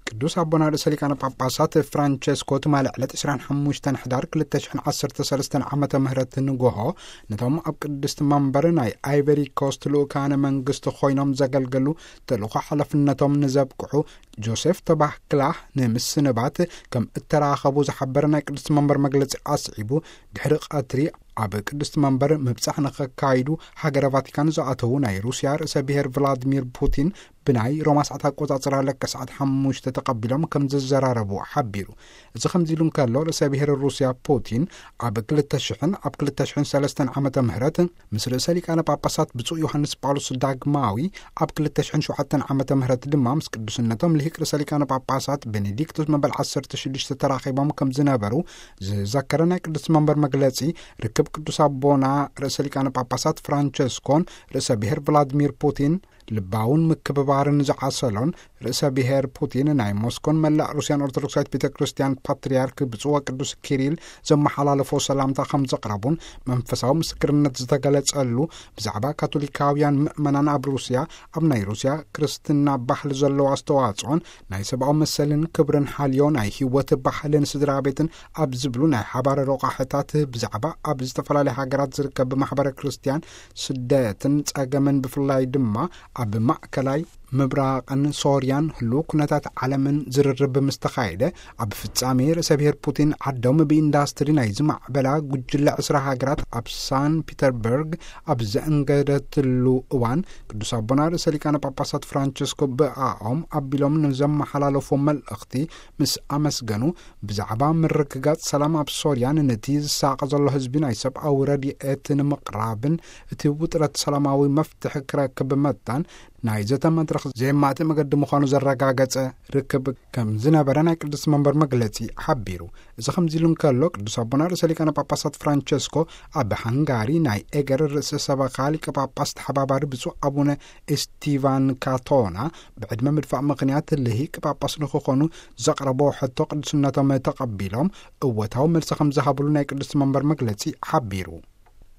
ቅዱስ ኣቦና ርእሰ ሊቃነ ጳጳሳት ፍራንቸስኮ ትማሊ ዕለት ዕስራን ሓሙሽተን ሕዳር ክልተ ሽሕን ዓሰርተ ሰለስተን ዓመተ ምህረት ንጎሆ ነቶም ኣብ ቅድስቲ መንበር ናይ ኣይቨሪ ኮስት ልኡካነ መንግስቲ ኮይኖም ዘገልገሉ ተልእኮ ሓላፍነቶም ንዘብቅሑ ጆሴፍ ተባህክላህ ንምስንባት ከም እተራኸቡ ዝሓበረ ናይ ቅድስቲ መንበር መግለጺ ኣስዒቡ፣ ድሕሪ ቀትሪ ኣብ ቅድስቲ መንበር ምብጻሕ ንኸካይዱ ሃገረ ቫቲካን ዝኣተዉ ናይ ሩስያ ርእሰ ብሔር ቭላድሚር ፑቲን ብናይ ሮማ ሰዓት ኣቆጻጽራ ለከ ሰዓት ሓሙሽተ ተቐቢሎም ከም ዝዘራረቡ ሓቢሩ። እዚ ከምዚ ኢሉ እንከሎ፣ ርእሰ ብሔር ሩስያ ፑቲን ኣብ ክልተ ሽሕን ኣብ ክልተ ሽሕን ሰለስተን ዓመተ ምህረት ምስ ርእሰ ሊቃነ ጳጳሳት ብፁዕ ዮሃንስ ጳውሎስ ዳግማዊ፣ ኣብ ክልተ ሽሕን ሸውዓተን ዓመተ ምህረት ድማ ምስ ቅዱስነቶም ልሂቅ ርእሰ ሊቃነ ጳጳሳት ቤኔዲክቶስ መበል ዓሰርተ ሽዱሽተ ተራኺቦም ከም ዝነበሩ ዝዘከረ ናይ ቅዱስ መንበር መግለጺ፣ ርክብ ቅዱስ ኣቦና ርእሰ ሊቃነ ጳጳሳት ፍራንቸስኮን ርእሰ ብሔር ቭላድሚር ፑቲን ልባውን ምክብባርን ዝዓሰሎን፣ ርእሰ ብሔር ፑቲን ናይ ሞስኮን መላእ ሩስያን ኦርቶዶክሳዊት ቤተ ክርስቲያን ፓትርያርክ ብፁዕ ወቅዱስ ኪሪል ዘመሓላለፎ ሰላምታ ከም ዘቕረቡን መንፈሳዊ ምስክርነት ዝተገለጸሉ፣ ብዛዕባ ካቶሊካውያን ምእመናን ኣብ ሩስያ፣ ኣብ ናይ ሩስያ ክርስትና ባህሊ ዘለዎ ኣስተዋጽኦን ናይ ሰብኣዊ መሰልን ክብርን ሓልዮ ናይ ህይወት ባህልን ስድራ ቤትን ኣብ ዝብሉ ናይ ሓባር ረቋሕታት፣ ብዛዕባ ኣብ ዝተፈላለያ ሃገራት ዝርከብ ማሕበረ ክርስቲያን ስደትን ጸገምን፣ ብፍላይ ድማ ኣብ ማእከላይ ምብራቕን ሶርያን ህሉው ኩነታት ዓለምን ዝርርብ ምስ ተኻየደ፣ ኣብ ፍጻሜ ርእሰ ብሔር ፑቲን ዓዶም ብኢንዳስትሪ ናይ ዝማዕበላ ጉጅለ ዕስራ ሃገራት ኣብ ሳን ፒተርበርግ ኣብ ዘእንገደትሉ እዋን፣ ቅዱስ ኣቦና ርእሰ ሊቃነ ጳጳሳት ፍራንቸስኮ ብኣኦም ኣቢሎም ንዘመሓላለፎ መልእኽቲ ምስ ኣመስገኑ፣ ብዛዕባ ምርግጋጽ ሰላም ኣብ ሶርያን ነቲ ዝሳቐ ዘሎ ህዝቢ ናይ ሰብኣዊ ረድኤት ንምቕራብን እቲ ውጥረት ሰላማዊ መፍትሒ ክረክብ መታን ናይ ዘተ መድረኽ ዘየማትእ መገዲ ምዃኑ ዘረጋገጸ ርክብ ከም ዝነበረ ናይ ቅድስቲ መንበር መግለጺ ሓቢሩ። እዚ ከምዚ ኢሉ እንከሎ፣ ቅዱስ ኣቦና ርእሰ ሊቃነ ጳጳሳት ፍራንቸስኮ ኣብ ሃንጋሪ ናይ ኤገር ርእሰ ሰበኻ ሊቀ ጳጳስ ተሓባባሪ ብፁዕ ኣቡነ ኤስቲቫን ካቶና ብዕድመ ምድፋእ ምኽንያት ልሂቅ ጳጳስ ንክኾኑ ዘቕረቦ ሕቶ ቅዱስነቶም ተቐቢሎም እወታዊ መልሲ ከም ዝሃብሉ ናይ ቅድስቲ መንበር መግለጺ ሓቢሩ።